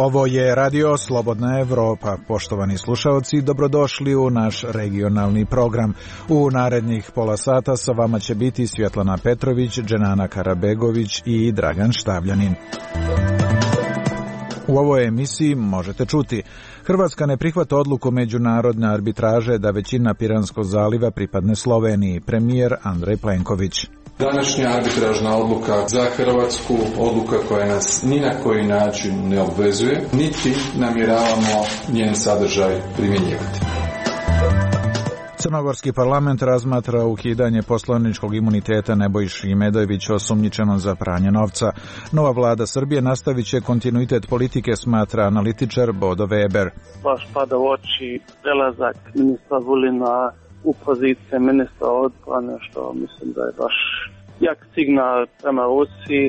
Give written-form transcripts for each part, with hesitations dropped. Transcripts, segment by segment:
Ovo je Radio Slobodna Evropa. Poštovani slušaoci, dobrodošli u naš regionalni program. U narednih pola sata sa vama će biti Svjetlana Petrović, Dženana Karabegović i Dragan Štavljanin. U ovoj emisiji možete čuti: Hrvatska ne prihvata odluku međunarodne arbitraže da većina Piranskog zaliva pripadne Sloveniji, premijer Andrej Plenković. Današnja arbitražna odluka za Hrvatsku, odluka koja nas ni na koji način ne obvezuje, niti namjeravamo njen sadržaj primjenjivati. Crnogorski parlament razmatra ukidanje poslaničkog imuniteta Nebojši Imedojevića osumnjičenom za pranje novca. Nova vlada Srbije nastavit će kontinuitet politike, smatra analitičar Bodo Weber. Baš pada u oči prelazak ministra Vulina u pozicije ministra odbrane, što mislim da je baš jak signal prema Rusiji.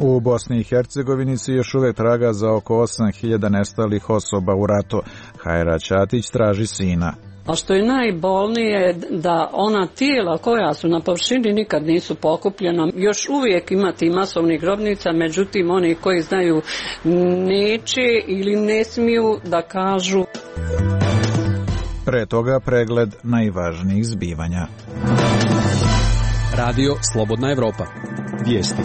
U Bosni i Hercegovini se još uvek traga za oko 8.000 nestalih osoba u ratu. Hajra Ćatić traži sina. A što je najbolnije, da ona tijela koja su na površini nikad nisu pokupljena. Još uvijek ima ti masovnih grobnica, međutim oni koji znaju neće ili ne smiju da kažu. Pre toga pregled najvažnijih zbivanja. Radio Slobodna Evropa. Vijesti.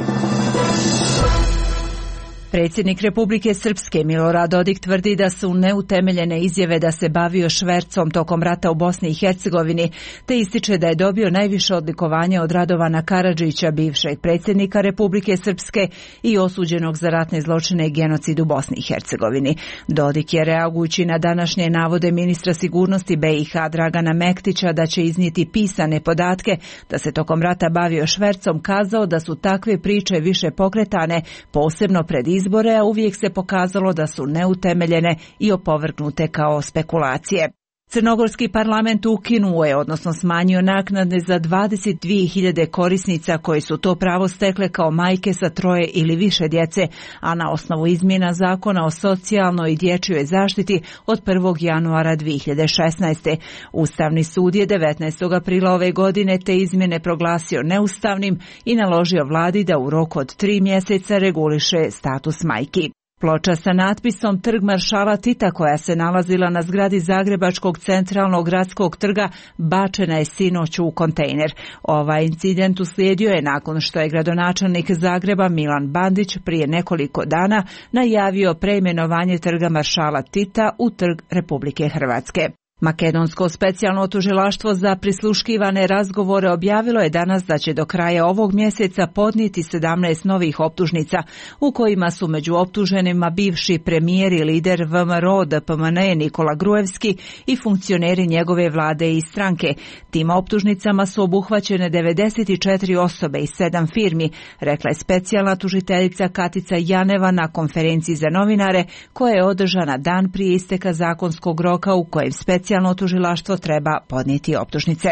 Predsjednik Republike Srpske Milorad Dodik tvrdi da su neutemeljene izjave da se bavio švercom tokom rata u Bosni i Hercegovini, te ističe da je dobio najviše odlikovanje od Radovana Karadžića, bivšeg predsjednika Republike Srpske i osuđenog za ratne zločine i genocid u Bosni i Hercegovini. Dodik je, reagujući na današnje navode ministra sigurnosti BiH Dragana Mektića da će iznijeti pisane podatke da se tokom rata bavio švercom, kazao da su takve priče više pokretane, posebno pred izbore, a uvijek se pokazalo da su neutemeljene i opovrgnute kao spekulacije. Crnogorski parlament ukinuo je, odnosno smanjio naknade za 22.000 korisnica koji su to pravo stekle kao majke sa 3 ili više djece, a na osnovu izmjena zakona o socijalnoj i dječjoj zaštiti od 1. januara 2016. Ustavni sud je 19. aprila ove godine te izmjene proglasio neustavnim i naložio vladi da u roku od 3 mjeseca reguliše status majki. Ploča sa natpisom Trg maršala Tita, koja se nalazila na zgradi Zagrebačkog centralnog gradskog trga, bačena je sinoć u kontejner. Ovaj incident uslijedio je nakon što je gradonačelnik Zagreba Milan Bandić prije nekoliko dana najavio preimenovanje Trga maršala Tita u Trg Republike Hrvatske. Makedonsko specijalno tužilaštvo za prisluškivane razgovore objavilo je danas da će do kraja ovog mjeseca podnijeti 17 novih optužnica, u kojima su među optuženima bivši premijer i lider VMRO DPMNE Nikola Gruevski i funkcioneri njegove vlade i stranke. Tim optužnicama su obuhvaćene 94 osobe i 7 firmi, rekla je specijalna tužiteljica Katica Janeva na konferenciji za novinare koja je održana dan prije isteka zakonskog roka u kojem specijalno tužilaštvo treba podnijeti optužnice.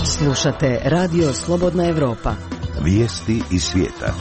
Slušate Radio Slobodna Evropa. Vijesti iz svijeta.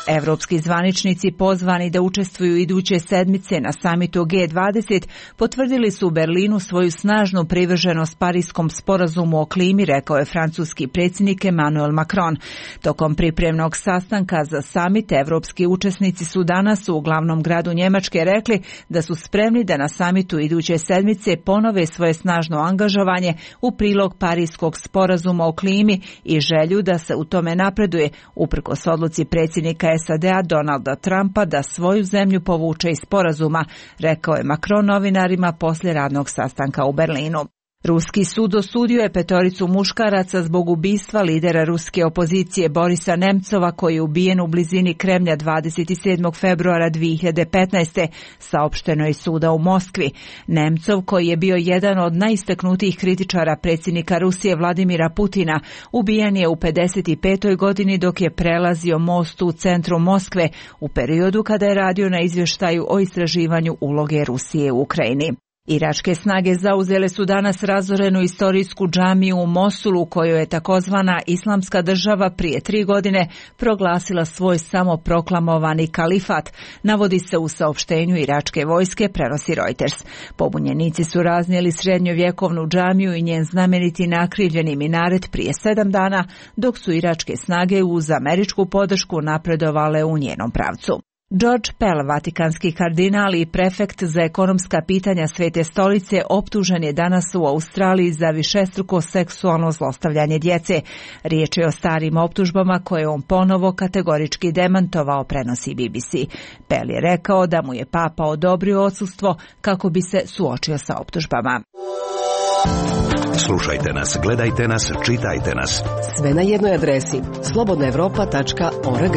Evropski zvaničnici pozvani da učestvuju iduće sedmice na samitu G20 potvrdili su u Berlinu svoju snažnu privrženost Parijskom sporazumu o klimi, rekao je francuski predsjednik Emmanuel Macron. Tokom pripremnog sastanka za samit, evropski učesnici su danas u glavnom gradu Njemačke rekli da su spremni da na samitu iduće sedmice ponove svoje snažno angažovanje u prilog Parijskog sporazuma o klimi i želju da se u tome napreduje, uprkos odluci predsjednika SAD-a Donalda Trumpa da svoju zemlju povuče iz sporazuma, rekao je Macron novinarima poslije radnog sastanka u Berlinu. Ruski sud osudio je 5 muškaraca zbog ubistva lidera ruske opozicije Borisa Nemcova, koji je ubijen u blizini Kremlja 27. februara 2015. saopšteno je suda u Moskvi. Nemcov, koji je bio jedan od najistaknutijih kritičara predsjednika Rusije Vladimira Putina, ubijen je u 55. godini dok je prelazio most u centru Moskve u periodu kada je radio na izvještaju o istraživanju uloge Rusije u Ukrajini. Iračke snage zauzele su danas razorenu istorijsku džamiju u Mosulu, kojoj je takozvana Islamska država prije 3 godine proglasila svoj samoproklamovani kalifat, navodi se u saopštenju iračke vojske, prenosi Reuters. Pobunjenici su raznijeli srednjovjekovnu džamiju i njen znameniti nakrivljeni minaret prije 7 dana, dok su iračke snage uz američku podršku napredovale u njenom pravcu. George Pell, vatikanski kardinal i prefekt za ekonomska pitanja Svete stolice, optužen je danas u Australiji za višestruko seksualno zlostavljanje djece. Riječ je o starim optužbama koje on ponovo kategorički demantovao, prenosi BBC. Pell je rekao da mu je papa odobrio odsustvo kako bi se suočio sa optužbama. Slušajte nas, gledajte nas, čitajte nas. Sve na jednoj adresi slobodnaevropa.org.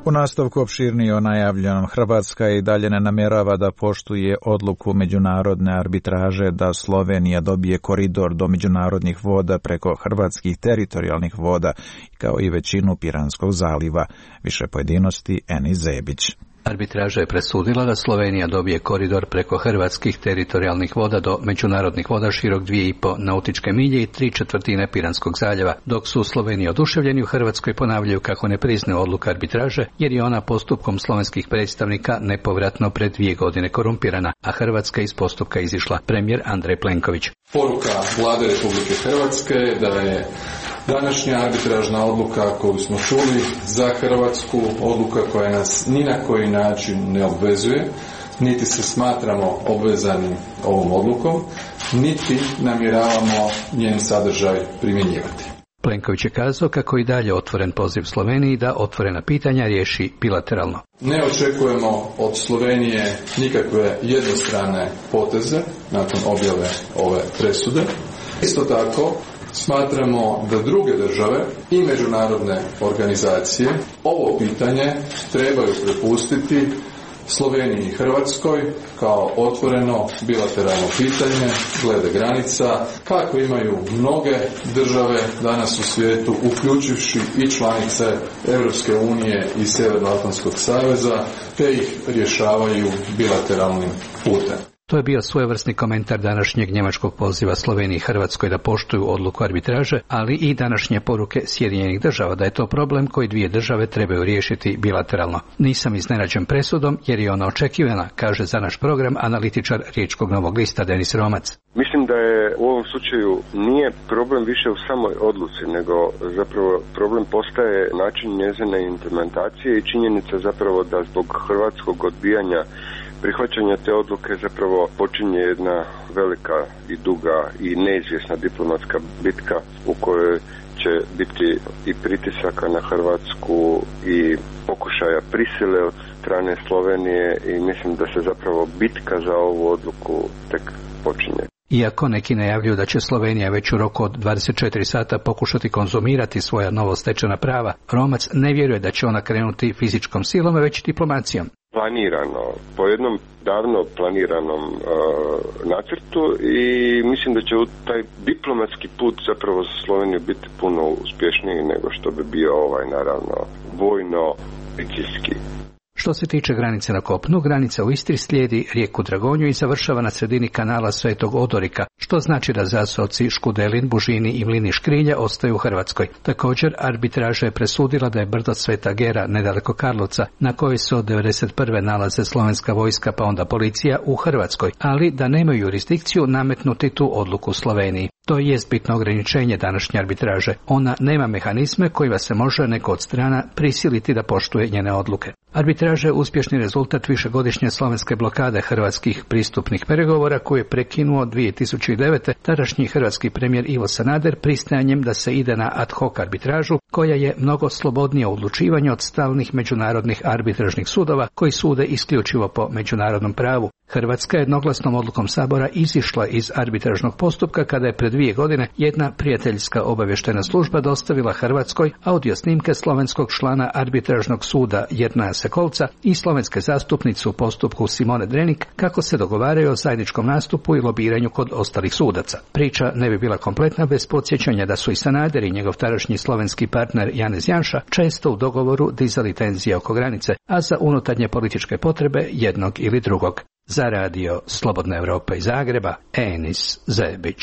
U nastavku opširnije o najavljenom, Hrvatska i dalje ne namjerava da poštuje odluku međunarodne arbitraže da Slovenija dobije koridor do međunarodnih voda preko hrvatskih teritorijalnih voda, kao i većinu Piranskog zaliva. Više pojedinosti Eni Zebić. Arbitraža je presudila da Slovenija dobije koridor preko hrvatskih teritorijalnih voda do međunarodnih voda širok 2,5 nautičke milje i 3/4 Piranskog zaljeva, dok su Sloveniji oduševljeni u Hrvatskoj ponavljaju kako ne priznaju odluku arbitraže, jer je ona postupkom slovenskih predstavnika nepovratno pred 2 godine korumpirana, a Hrvatska iz postupka izišla. Premijer Andrej Plenković. Poruka Vlade Republike Hrvatske je da je današnja arbitražna odluka koju smo čuli za Hrvatsku odluka koja nas ni na koji način ne obvezuje, niti se smatramo obvezanim ovom odlukom, niti namjeravamo njen sadržaj primjenjivati. Plenković je kazao kako i dalje otvoren poziv Sloveniji da otvorena pitanja riješi bilateralno. Ne očekujemo od Slovenije nikakve jednostrane poteze nakon objave ove presude. Isto tako smatramo da druge države i međunarodne organizacije ovo pitanje trebaju prepustiti Sloveniji i Hrvatskoj kao otvoreno bilateralno pitanje glede granica, kako imaju mnoge države danas u svijetu, uključivši i članice Europske unije i Sjevernoatlantskog saveza, te ih rješavaju bilateralnim putem. To je bio svojevrsni komentar današnjeg njemačkog poziva Sloveniji i Hrvatskoj da poštuju odluku arbitraže, ali i današnje poruke Sjedinjenih država da je to problem koji dvije države trebaju riješiti bilateralno. Nisam iznenađen presudom jer je ona očekivana, kaže za naš program analitičar Riječkog Novog lista Denis Romac. Mislim da je u ovom slučaju nije problem više u samoj odluci, nego zapravo problem postaje način njezine implementacije i činjenica zapravo da zbog hrvatskog odbijanja prihvaćanja te odluke zapravo počinje jedna velika i duga i neizvjesna diplomatska bitka u kojoj će biti i pritisaka na Hrvatsku i pokušaja prisile od strane Slovenije i mislim da se zapravo bitka za ovu odluku tek počinje. Iako neki najavljuju da će Slovenija već u roku od 24 sata pokušati konzumirati svoja novostečena prava, Romac ne vjeruje da će ona krenuti fizičkom silom, već diplomacijom. Planirano, po jednom davno planiranom nacrtu i mislim da će taj diplomatski put zapravo za Sloveniju biti puno uspješniji nego što bi bio naravno vojno-policijski. Što se tiče granice na kopnu, granica u Istri slijedi rijeku Dragonju i završava na sredini kanala Svetog Odorika, što znači da zaseoci Škudelin, Bužini i Mlini Škrilja ostaju u Hrvatskoj. Također, arbitraža je presudila da je brdo Sveta Gera, nedaleko Karlovca, na kojoj se od 1991. nalaze slovenska vojska pa onda policija u Hrvatskoj, ali da nemaju jurisdikciju nametnuti tu odluku Sloveniji. To jest bitno ograničenje današnje arbitraže. Ona nema mehanizme kojima se može neko od strana prisiliti da poštuje njene odluke. Arbitraža je uspješni rezultat višegodišnje slovenske blokade hrvatskih pristupnih pregovora koje je prekinuo 2009. tadašnji hrvatski premijer Ivo Sanader pristajanjem da se ide na ad hoc arbitražu koja je mnogo slobodnija u odlučivanju od stalnih međunarodnih arbitražnih sudova koji sude isključivo po međunarodnom pravu. Hrvatska je jednoglasnom odlukom Sabora izišla iz arbitražnog postupka kada je pred 2 godine jedna prijateljska obavještajna služba dostavila Hrvatskoj audio snimke slovenskog člana arbitražnog suda Jernaja Sekolca i slovenske zastupnice u postupku Simone Drenik kako se dogovaraju o zajedničkom nastupu i lobiranju kod ostalih sudaca. Priča ne bi bila kompletna bez podsjećanja da su i Sanader i njegov tadašnji slovenski partner Janez Janša često u dogovoru dizali tenzije oko granice, a za unutarnje političke potrebe jednog ili drugog. Za radio Slobodna Evropa iz Zagreba, Enis Zebić.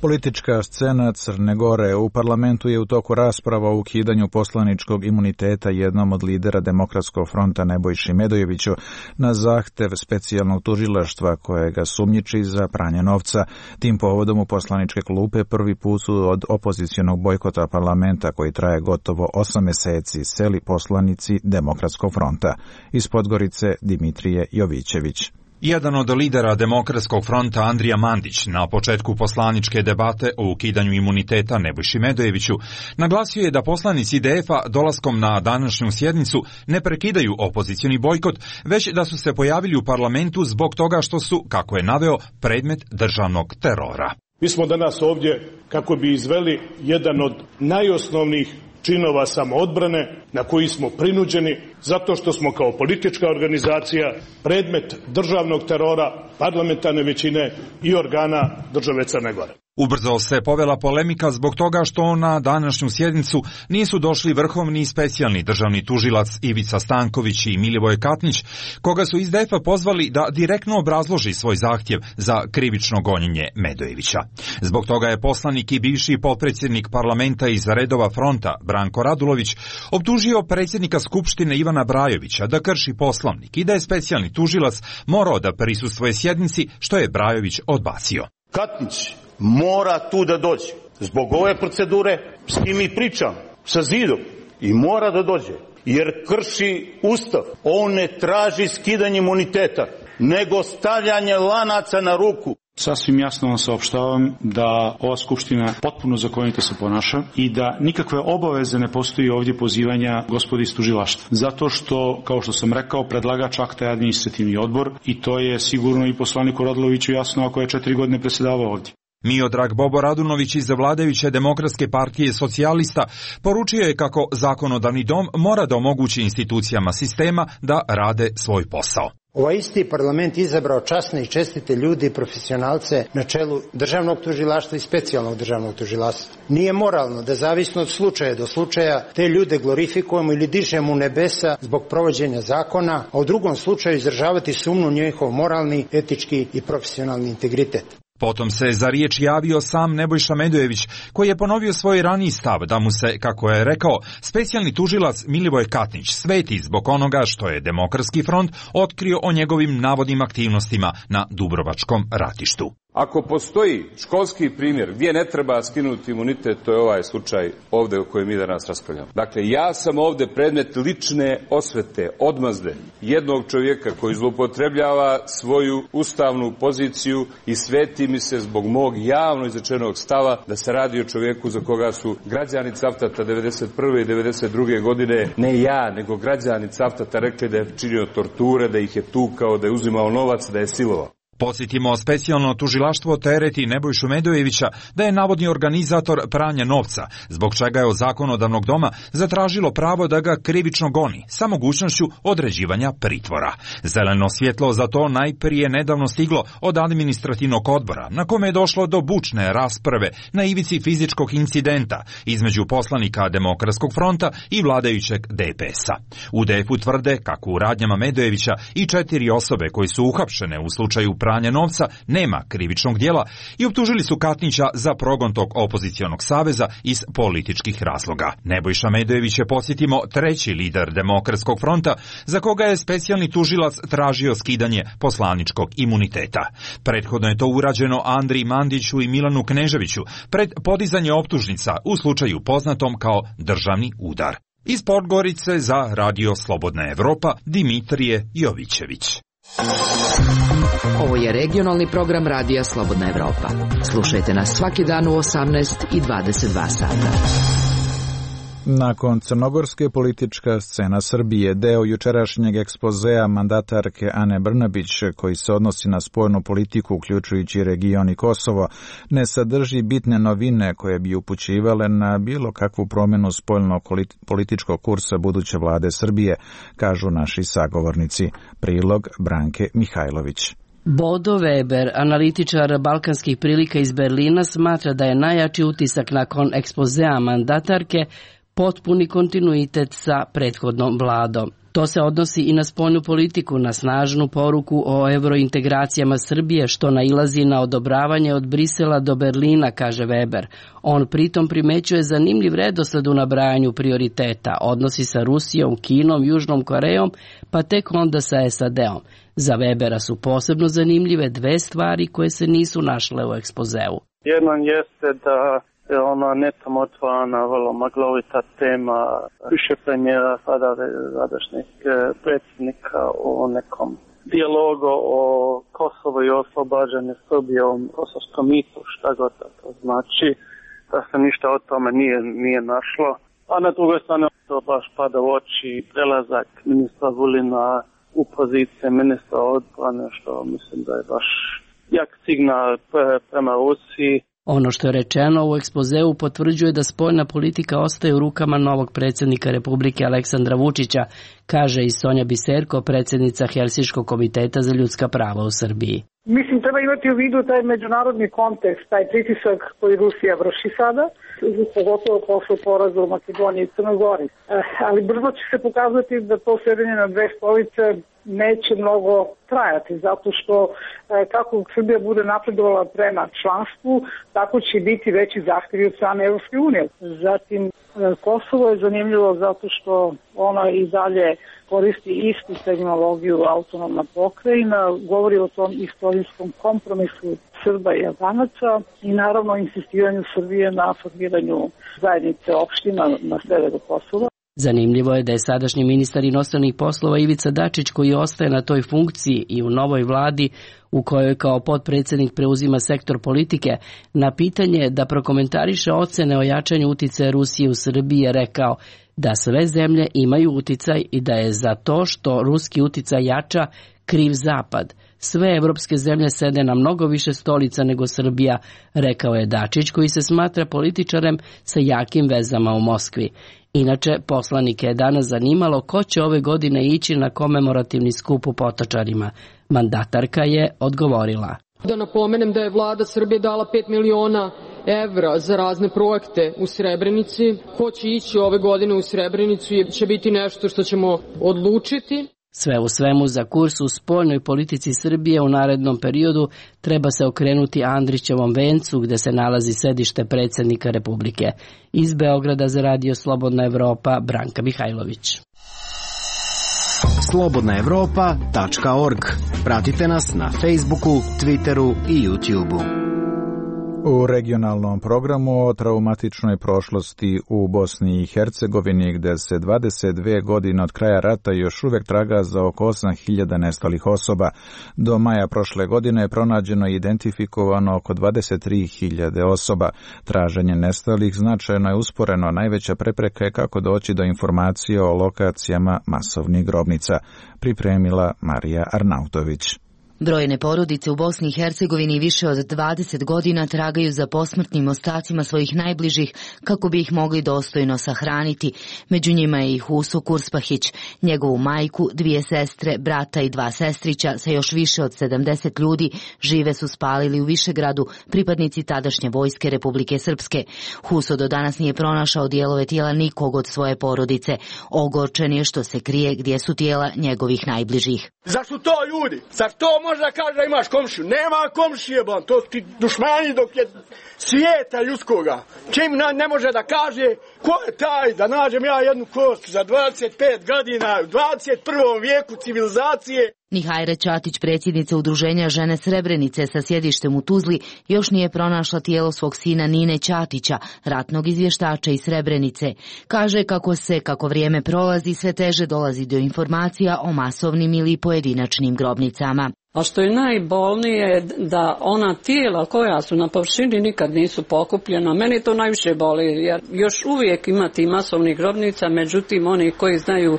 Politička scena Crne Gore. U parlamentu je u toku rasprava o ukidanju poslaničkog imuniteta jednom od lidera Demokratskog fronta Nebojši Medojeviću na zahtev specijalnog tužilaštva koje ga sumnjiči za pranje novca. Tim povodom u poslaničke klupe prvi put su od opozicionog bojkota parlamenta koji traje gotovo 8 meseci seli poslanici Demokratskog fronta. Iz Podgorice Dimitrije Jovićević. Jedan od lidera Demokratskog fronta Andrija Mandić na početku poslaničke debate o ukidanju imuniteta Nebojši Medojeviću naglasio je da poslanici IDF-a dolaskom na današnju sjednicu ne prekidaju opozicioni bojkot, već da su se pojavili u parlamentu zbog toga što su, kako je naveo, predmet državnog terora. Mi smo danas ovdje kako bi izveli jedan od najosnovnijih činova samoodbrane na koji smo prinuđeni zato što smo kao politička organizacija predmet državnog terora, parlamentarne većine i organa države Crne Gore. Ubrzo se povela polemika zbog toga što na današnju sjednicu nisu došli vrhovni i specijalni državni tužilac Ivica Stanković i Milivoj Katnić, koga su iz DF-a pozvali da direktno obrazloži svoj zahtjev za krivično gonjenje Medojevića. Zbog toga je poslanik i bivši potpredsjednik parlamenta iz redova fronta Branko Radulović optužio predsjednika Skupštine Ivana Brajovića da krši Poslovnik i da je specijalni tužilac morao da prisustvuje sjednici, što je Brajović odbacio. Katnić mora tu da dođe. Zbog ove procedure s kim mi pričam, sa Zidom, i mora da dođe. Jer krši Ustav. On ne traži skidanje imuniteta, nego stavljanje lanaca na ruku. Sasvim jasno vam saopštavam da ova Skupština potpuno zakonito se ponaša i da nikakve obaveze ne postoji ovdje pozivanja gospodi iz tužilaštva. Zato što, kao što sam rekao, predlagač akta je administrativni odbor i to je sigurno i poslaniku Raduloviću jasno ako je 4 godine predsjedavao ovdje. Miodrag Bobo Radunović iz vladajuće Demokratske partije socijalista poručio je kako zakonodavni dom mora da omogući institucijama sistema da rade svoj posao. Ovaj isti parlament izabrao časne i čestite ljudi i profesionalce na čelu državnog tužilaštva i specijalnog državnog tužilaštva. Nije moralno da zavisno od slučaja do slučaja te ljude glorifikujemo ili dižemo u nebesa zbog provođenja zakona, a u drugom slučaju izražavati sumnju u njihov moralni, etički i profesionalni integritet. Potom se za riječ javio sam Nebojša Medojević, koji je ponovio svoj raniji stav da mu se, kako je rekao, specijalni tužilac Milivoj Katnić sveti zbog onoga što je Demokratski front otkrio o njegovim navodnim aktivnostima na Dubrovačkom ratištu. Ako postoji školski primjer gdje ne treba skinuti imunitet, to je ovaj slučaj ovdje o kojem mi danas raspravljamo. Dakle, ja sam ovdje predmet lične osvete, odmazde jednog čovjeka koji zloupotrebljava svoju ustavnu poziciju i sveti mi se zbog mog javno izrečenog stava da se radi o čovjeku za koga su građani Cavtata 1991. i 1992. godine, ne ja, nego građani Cavtata rekli da je činio torture, da ih je tukao, da je uzimao novac, da je silovao. Podsjetimo, specijalno tužilaštvo tereti Nebojšu Medojevića da je navodni organizator pranja novca, zbog čega je od zakonodavnog doma zatražilo pravo da ga krivično goni, sa mogućnošću određivanja pritvora. Zeleno svjetlo za to najprije nedavno stiglo od administrativnog odbora, na kome je došlo do bučne rasprave na ivici fizičkog incidenta između poslanika Demokratskog fronta i vladajućeg DPS-a. U DF-u tvrde kako u radnjama Medojevića i 4 osobe koji su uhapšene u slučaju pranja novca nema krivičnog djela i optužili su Katnića za progon tog opozicionog saveza iz političkih razloga. Nebojša Medojević je, podsjetimo, treći lider Demokratskog fronta za koga je specijalni tužilac tražio skidanje poslaničkog imuniteta. Prethodno je to urađeno Andriji Mandiću i Milanu Kneževiću pred podizanje optužnica u slučaju poznatom kao državni udar. Iz Podgorice za Radio Slobodna Evropa Dimitrije Jovićević. Ovo je regionalni program Radija Slobodna Evropa. Slušajte nas svaki dan u 18 i 22 sata. Nakon crnogorske politička scena Srbije, deo jučerašnjeg ekspozea mandatarke Ane Brnabić, koji se odnosi na spoljnu politiku uključujući region i Kosovo, ne sadrži bitne novine koje bi upućivale na bilo kakvu promjenu spoljno-političkog kursa buduće vlade Srbije, kažu naši sagovornici. Prilog Branke Mihajlović. Bodo Weber, analitičar balkanskih prilika iz Berlina, smatra da je najjači utisak nakon ekspozea mandatarke potpuni kontinuitet sa prethodnom vladom. To se odnosi i na spoljnu politiku, na snažnu poruku o evrointegracijama Srbije, što nailazi na odobravanje od Brisela do Berlina, kaže Weber. On pritom primećuje zanimljiv redosled u nabrajanju prioriteta, odnosi sa Rusijom, Kinom, Južnom Korejom, pa tek onda sa SAD-om. Za Webera su posebno zanimljive dve stvari koje se nisu našle u ekspozeu. Jedan jeste da je ona netom otvorena, vrlo maglovita tema više premijera, sadašnjeg predsjednika o nekom dijalogu o Kosovo i oslobađanju Srbije, o kosovskom mitu, šta god to znači, da se ništa o tome nije našlo. A na drugoj strani to baš pada u oči prelazak ministra Vulina u pozicije ministra odbrane, što mislim da je baš jak signal prema Rusiji. Ono što je rečeno u ekspozeu potvrđuje da spoljna politika ostaje u rukama novog predsjednika Republike Aleksandra Vučića, kaže i Sonja Biserko, predsjednica Helsinškog komiteta za ljudska prava u Srbiji. Mislim, treba imati u vidu taj međunarodni kontekst, taj pritisak koji Rusija vrši sada, pogotovo posle poraza u Makedoniji i Crnoj Gori. Ali brzo će se pokazati da to sedenje na dve stolice neće mnogo trajati, zato što kako Srbija bude napredovala prema članstvu, tako će biti veći zahtjevi od strane Evropske unije. Zatim, Kosovo je zanimljivo zato što ona i dalje koristi istu terminologiju autonomna pokrajina, govori o tom istorijskom kompromisu Srba i Albanaca i naravno insistiranju Srbije na formiranju zajednice opština na severu Kosova. Zanimljivo je da je sadašnji ministar inostranih poslova Ivica Dačić, koji ostaje na toj funkciji i u novoj vladi u kojoj kao potpredsjednik preuzima sektor politike, na pitanje da prokomentariše ocene o jačanju uticaja Rusije u Srbiji je rekao da sve zemlje imaju uticaj i da je za to što ruski uticaj jača kriv Zapad. Sve evropske zemlje sede na mnogo više stolica nego Srbija, rekao je Dačić, koji se smatra političarem sa jakim vezama u Moskvi. Inače, poslanike je danas zanimalo ko će ove godine ići na komemorativni skup u Potočarima. Mandatarka je odgovorila. Da napomenem da je vlada Srbije dala 5 miliona evra za razne projekte u Srebrenici. Ko će ići ove godine u Srebrenicu će biti nešto što ćemo odlučiti. Sve u svemu, za kurs u spoljnoj politici Srbije u narednom periodu treba se okrenuti Andrićevom vencu, gde se nalazi sedište predsjednika Republike. Iz Beograda za Radio Slobodna Evropa, Branka Mihajlović. slobodnaevropa.org. Pratite nas na Facebooku, Twitteru i YouTubeu. U regionalnom programu o traumatičnoj prošlosti u Bosni i Hercegovini, gde se 22 godine od kraja rata još uvijek traga za oko 8.000 nestalih osoba. Do maja prošle godine je pronađeno i identifikovano oko 23.000 osoba. Traženje nestalih značajno je usporeno, najveća prepreka je kako doći do informacije o lokacijama masovnih grobnica. Pripremila Marija Arnautović. Brojne porodice u Bosni i Hercegovini više od 20 godina tragaju za posmrtnim ostacima svojih najbližih kako bi ih mogli dostojno sahraniti. Među njima je i Huso Kurspahić, njegovu majku, 2 sestre, brata i 2 sestrića sa još više od 70 ljudi žive su spalili u Višegradu pripadnici tadašnje vojske Republike Srpske. Huso do danas nije pronašao dijelove tijela nikog od svoje porodice. Ogorčen je što se krije gdje su tijela njegovih najbližih. Zar su to ljudi? Zar to može da kaže da imaš komšiju? Nema komšije, bon. To ti dušmani dok je svijeta ljudskoga. Čim ne može da kaže ko je taj da nađem ja jednu kost za 25 godina u 21. vijeku civilizacije. Nihajra Ćatić, predsjednica udruženja Žene Srebrenice sa sjedištem u Tuzli, još nije pronašla tijelo svog sina Nine Ćatića, ratnog izvještača iz Srebrenice. Kaže kako vrijeme prolazi, sve teže dolazi do informacija o masovnim ili pojedinačnim grobnicama. A što je najbolnije da ona tijela koja su na površini nikad nisu pokupljena. Meni to najviše boli jer još uvijek ima ti masovnih grobnica, međutim oni koji znaju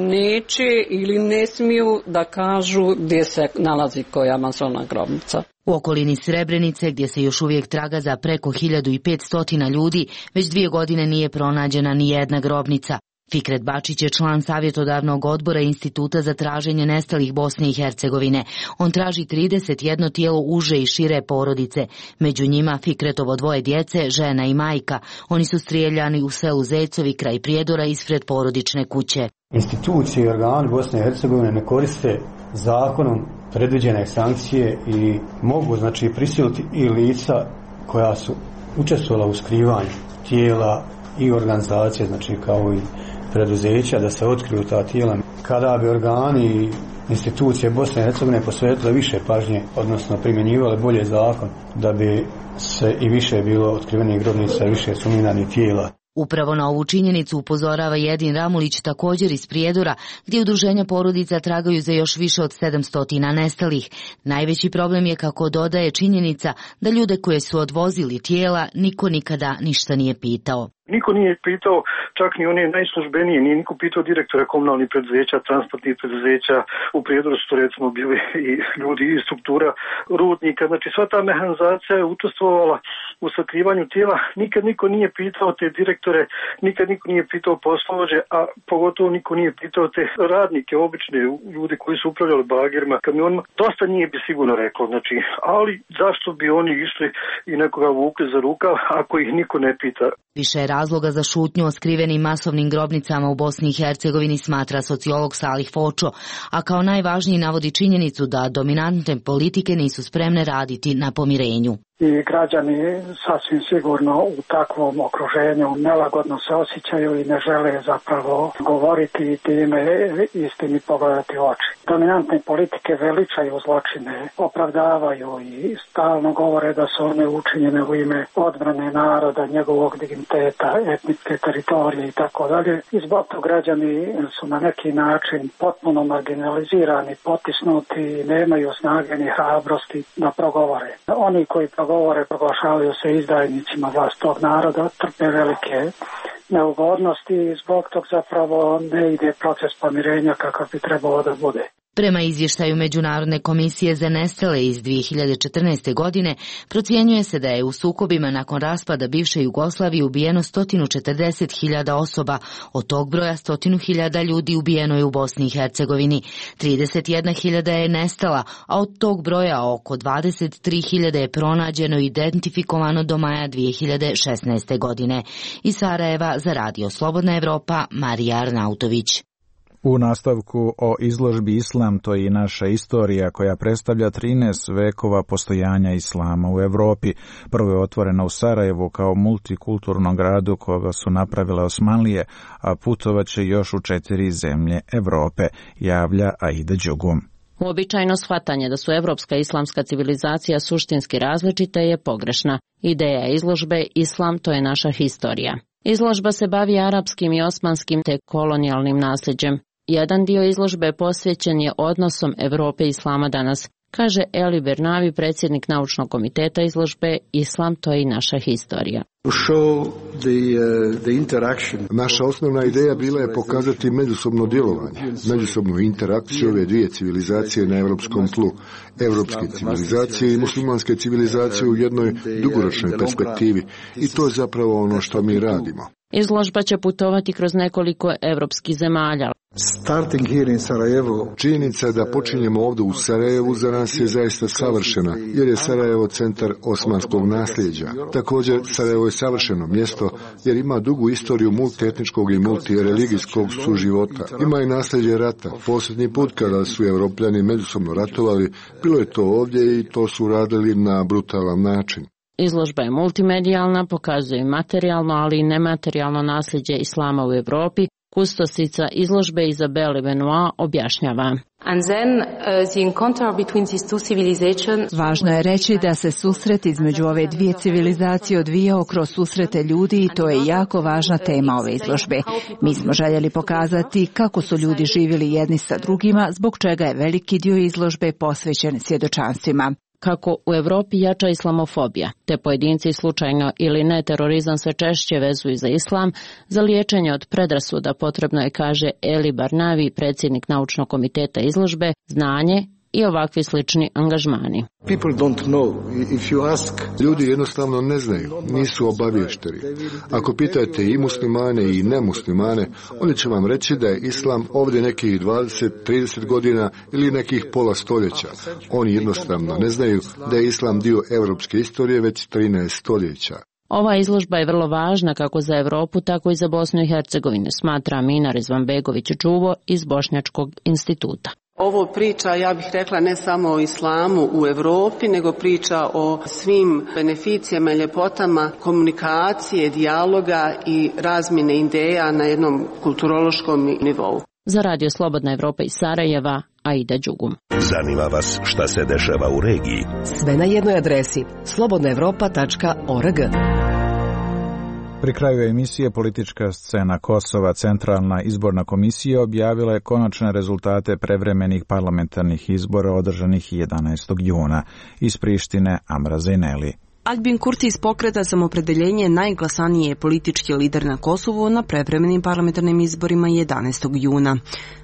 neće ili ne smiju da kažu gdje se nalazi koja masovna grobnica. U okolini Srebrenice, gdje se još uvijek traga za preko 1500 ljudi, već 2 godine nije pronađena ni jedna grobnica. Fikret Bačić je član savjetodavnog odbora Instituta za traženje nestalih Bosne i Hercegovine. On traži 31 tijelo uže i šire porodice. Među njima Fikretovo 2 djece, žena i majka. Oni su strijeljani u selu Zejcovi kraj Prijedora ispred porodične kuće. Institucije i organi Bosne i Hercegovine ne koriste zakonom predviđene sankcije i mogu prisiliti i lica koja su učestvovala u skrivanju tijela i organizacije, kao i preduzeća, da se otkriju ta tijela. Kada bi organi i institucije Bosne i Hercegovine posvetile više pažnje, odnosno primjenjivale bolje zakon, da bi se i više bilo otkrivenih grobnica, više suminanih tijela. Upravo na ovu činjenicu upozorava Jedin Ramulić, također iz Prijedora, gdje udruženja porodica tragaju za još više od 700 nestalih. Najveći problem je, kako dodaje, činjenica da ljude koje su odvozili tijela niko nikada ništa nije pitao. Niko nije pitao, čak ni one najslužbenije, nije niko pitao direktore komunalnih preduzeća, transportnih preduzeća. U Prijedoru su to recimo bili i ljudi iz struktura rudnika. Znači sva ta mehanizacija je učestvovala u sakrivanju tijela. Nikad niko nije pitao te direktore, nikad niko nije pitao poslovođe, a pogotovo niko nije pitao te radnike, obične ljudi koji su upravljali bagerima, kamionima. Dosta nije bi sigurno reklo, znači, ali zašto bi oni išli i nekoga vukli za rukav ako ih niko ne pita. Više razloga za šutnju o skrivenim masovnim grobnicama u Bosni i Hercegovini smatra sociolog Salih Fočo, a kao najvažniji navodi činjenicu da dominantne politike nisu spremne raditi na pomirenju. I građani sasvim sigurno u takvom okruženju nelagodno se osjećaju i ne žele zapravo govoriti i time istini pogledati u oči. Dominantne politike veličaju zločine, opravdavaju i stalno govore da su one učinjene u ime odbrane naroda, njegovog digniteta, etničke teritorije i tako dalje. I zbog toga građani su na neki način potpuno marginalizirani, potisnuti i nemaju snage ni hrabrosti da progovore. Oni koji proglašavaju se izdajnicima vlastitog naroda, trpe velike neugodnosti i zbog tog zapravo ne ide proces pomirenja kakav bi trebalo da bude. Prema izvještaju Međunarodne komisije za nestale iz 2014. godine, procjenjuje se da je u sukobima nakon raspada bivše Jugoslavije ubijeno 140.000 osoba, od tog broja 100.000 ljudi ubijeno je u Bosni i Hercegovini, 31.000 je nestala, a od tog broja oko 23.000 je pronađeno i identifikovano do maja 2016. godine. Iz Sarajeva za Radio Slobodna Evropa, Marija Arnautović. U nastavku o izložbi Islam, to je i naša istorija, koja predstavlja 13 vekova postojanja islama u Evropi. Prvo je otvorena u Sarajevu kao multikulturnom gradu koga su napravile Osmanlije, a putovaće još u 4 zemlje Evrope, javlja Aida Đugum. Uobičajeno shvatanje da su evropska islamska civilizacija suštinski različita je pogrešna. Ideja izložbe Islam, to je naša historija. Izložba se bavi arapskim i osmanskim te kolonijalnim nasljeđem. Jedan dio izložbe posvećen je odnosom Evrope i islama danas, kaže Eli Bernavi, predsjednik naučnog komiteta izložbe Islam, to je i naša historija. Naša osnovna ideja bila je pokazati međusobno djelovanje, međusobnu interakciju ove dvije civilizacije na evropskom tlu, evropske civilizacije i muslimanske civilizacije u jednoj dugoročnoj perspektivi, i to je zapravo ono što mi radimo. Izložba će putovati kroz nekoliko evropskih zemalja. Činjenica da počinjemo ovdje u Sarajevu za nas je zaista savršena, jer je Sarajevo centar osmanskog nasljeđa. Također, Sarajevo je savršeno mjesto jer ima dugu istoriju multietničkog i multireligijskog suživota. Ima i nasljeđe rata. Posljednji put kada su Evropljani međusobno ratovali, bilo je to ovdje i to su radili na brutalan način. Izložba je multimedijalna, pokazuje materijalno, ali i nematerijalno nasljeđe islama u Evropi. Kustosica izložbe Izabele Benoit objašnjava. Važno je reći da se susret između ove dvije civilizacije odvijao kroz susrete ljudi i to je jako važna tema ove izložbe. Mi smo željeli pokazati kako su ljudi živjeli jedni sa drugima, zbog čega je veliki dio izložbe posvećen svjedočanstvima. Kako u Evropi jača islamofobija, te pojedinci slučajno ili ne terorizam sve češće vezuju za islam, za liječenje od predrasuda potrebno je, kaže Eli Barnavi, predsjednik naučnog komiteta izložbe, znanje, i ovakvi slični angažmani. Ljudi jednostavno ne znaju, nisu obavješteni. Ako pitate i muslimane i nemuslimane, oni će vam reći da je islam ovdje nekih 20-30 godina ili nekih pola stoljeća. Oni jednostavno ne znaju da je islam dio europske istorije već 13 stoljeća. Ova izložba je vrlo važna kako za Europu, tako i za Bosnu i Hercegovinu, smatra Amina Rizvanbegović-Čuvo iz Bošnjačkog instituta. Ovo priča, ja bih rekla, ne samo o islamu u Europi, nego priča o svim beneficijama i ljepotama komunikacije, dijaloga i razmjene ideja na jednom kulturološkom nivou. Za Radio Slobodna Evropa iz Sarajeva, Aida Đugum. Zanima vas šta se dešava u regiji? Sve na jednoj adresi slobodnaevropa.org. Pri kraju emisije Politička scena Kosova, Centralna izborna komisija objavila je konačne rezultate prevremenih parlamentarnih izbora održanih 11. juna. Iz Prištine, Amra Zejneli. Albin Kurti iz Pokreta Samopredeljenje najglasaniji je politički lider na Kosovu na prevremenim parlamentarnim izborima 11. juna.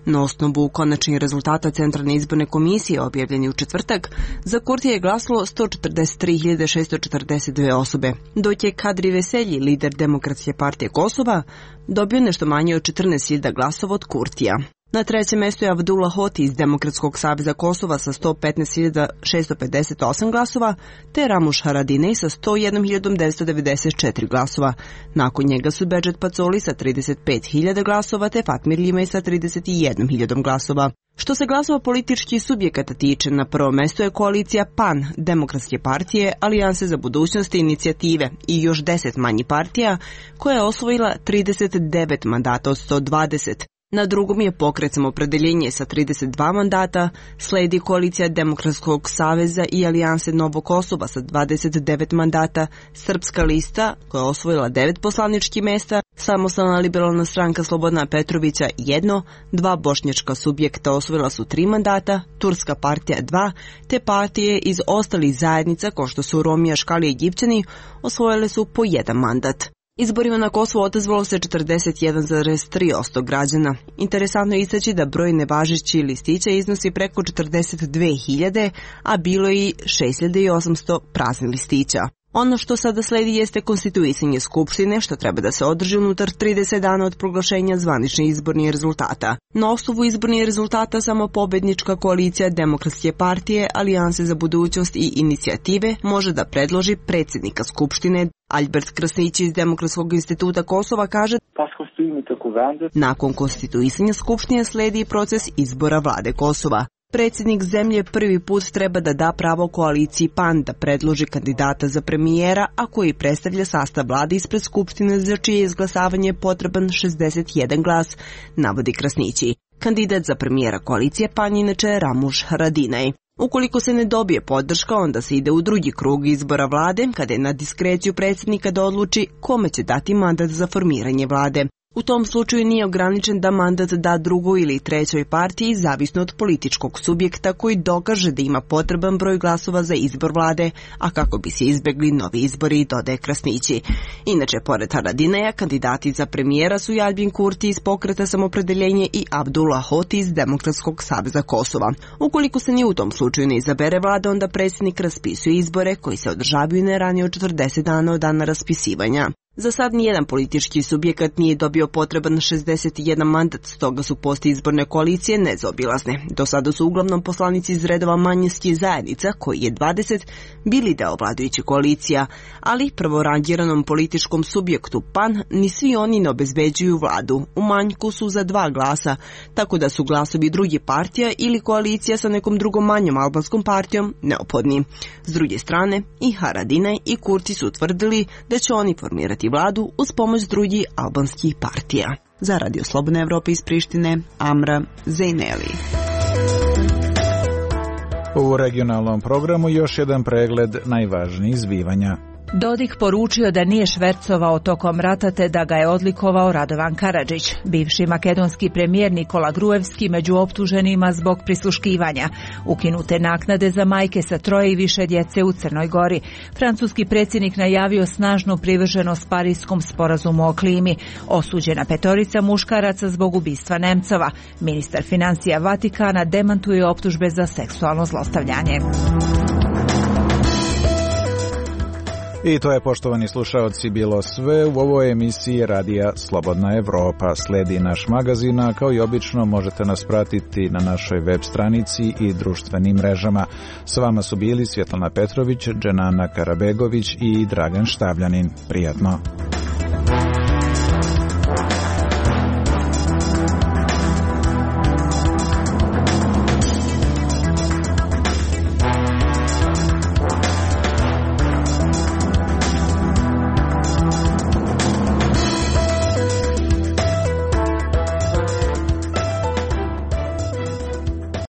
Na osnovu konačnih rezultata Centralne izborne komisije objavljeni u četvrtak, za Kurtija je glasalo 143.642 osobe, dok je Kadri Veselji, lider Demokratske partije Kosova, dobio nešto manje od 14.000 glasova od Kurtija. Na trećem mjestu je Abdullah Hoti iz Demokratskog saveza Kosova sa 115.658 glasova, te Ramuš Haradinaj sa 101.994 glasova. Nakon njega su Bedžet Pacoli sa 35.000 glasova, te Fatmir Limaj sa 31.000 glasova. Što se glasova političkih subjekata tiče, na prvom mjestu je koalicija PAN, Demokratske partije, Alijanse za budućnost i inicijative i još 10 manjih partija, koja je osvojila 39 mandata od 120. Na drugom je Pokret Samopredeljenje sa 32 mandata, sledi koalicija Demokratskog saveza i Alijanse Novo Kosova sa 29 mandata, Srpska lista koja je osvojila 9 poslaničkih mjesta, Samostalna liberalna stranka Slobodana Petrovića 1, 2 bošnjačka subjekta osvojila su 3 mandata, Turska partija 2, te partije iz ostalih zajednica kao što su Romija, Škali i Egipćani osvojile su po 1 mandat. Izborima na Kosovu odazvalo se 41,3% građana. Interesantno je istaći da broj nevažećih listića iznosi preko 42.000, a bilo je i 6.800 praznih listića. Ono što sada sledi jeste konstituisanje Skupštine, što treba da se održi unutar 30 dana od proglašenja zvaničnih izbornih rezultata. Na osnovu izbornih rezultata samo pobednička koalicija Demokratske partije, Alijanse za budućnost i inicijative može da predloži predsjednika Skupštine. Albert Krasnić iz Demokratskog instituta Kosova kaže: nakon konstituisanja Skupštine sledi proces izbora vlade Kosova. Predsjednik zemlje prvi put treba da da pravo koaliciji PAN da predloži kandidata za premijera, a koji predstavlja sastav vlade ispred Skupštine za čije izglasavanje je potreban 61 glas, navodi Krasnići. Kandidat za premijera koalicije PAN inače je Ramuš Haradinaj. Ukoliko se ne dobije podrška, onda se ide u drugi krug izbora vlade, kada je na diskreciju predsjednika da odluči kome će dati mandat za formiranje vlade. U tom slučaju nije ograničen da mandat da drugoj ili trećoj partiji, zavisno od političkog subjekta koji dokaže da ima potreban broj glasova za izbor vlade, a kako bi se izbjegli novi izbori, dodaje Krasnići. Inače, pored Haradinaja, kandidati za premijera su Albin Kurti iz Pokreta Samopredeljenje i Abdullah Hoti iz Demokratskog saveza Kosova. Ukoliko se ni u tom slučaju ne izabere vlada, onda predsjednik raspisuje izbore koji se održavaju ne ranije od 40 dana od dana raspisivanja. Za sad nijedan politički subjekat nije dobio potreban 61 mandat, stoga su postizborne koalicije nezaobilazne. Do sada su uglavnom poslanici iz redova manjinskih zajednica, koji je 20, bili deo vladajućih koalicija, ali prvorangiranom političkom subjektu PAN ni svi oni ne obezbeđuju vladu. U manjku su za 2 glasa, tako da su glasovi drugih partija ili koalicija sa nekom drugom manjom albanskom partijom neophodni. S druge strane, i Haradinaj i Kurti su utvrdili da će oni formirati vladu uz pomoć drugih albanskih partija. Za Radio Slobodna Evropa iz Prištine, Amra Zejneli. U regionalnom programu još jedan pregled najvažnijih zbivanja. Dodik poručio da nije švercovao tokom rata te da ga je odlikovao Radovan Karadžić. Bivši makedonski premijer Nikola Gruevski među optuženima zbog prisluškivanja. Ukinute naknade za majke sa 3 i više djece u Crnoj Gori. Francuski predsjednik najavio snažnu privrženost Parijskom sporazumu o klimi. Osuđena 5 muškaraca zbog ubistva Nemcova. Ministar financija Vatikana demantuje optužbe za seksualno zlostavljanje. I to je, poštovani slušaoci, bilo sve u ovoj emisiji Radija Slobodna Evropa. Sledi naš magazin, a kao i obično možete nas pratiti na našoj web stranici i društvenim mrežama. S vama su bili Svjetlana Petrović, Dženana Karabegović i Dragan Štavljanin. Prijatno.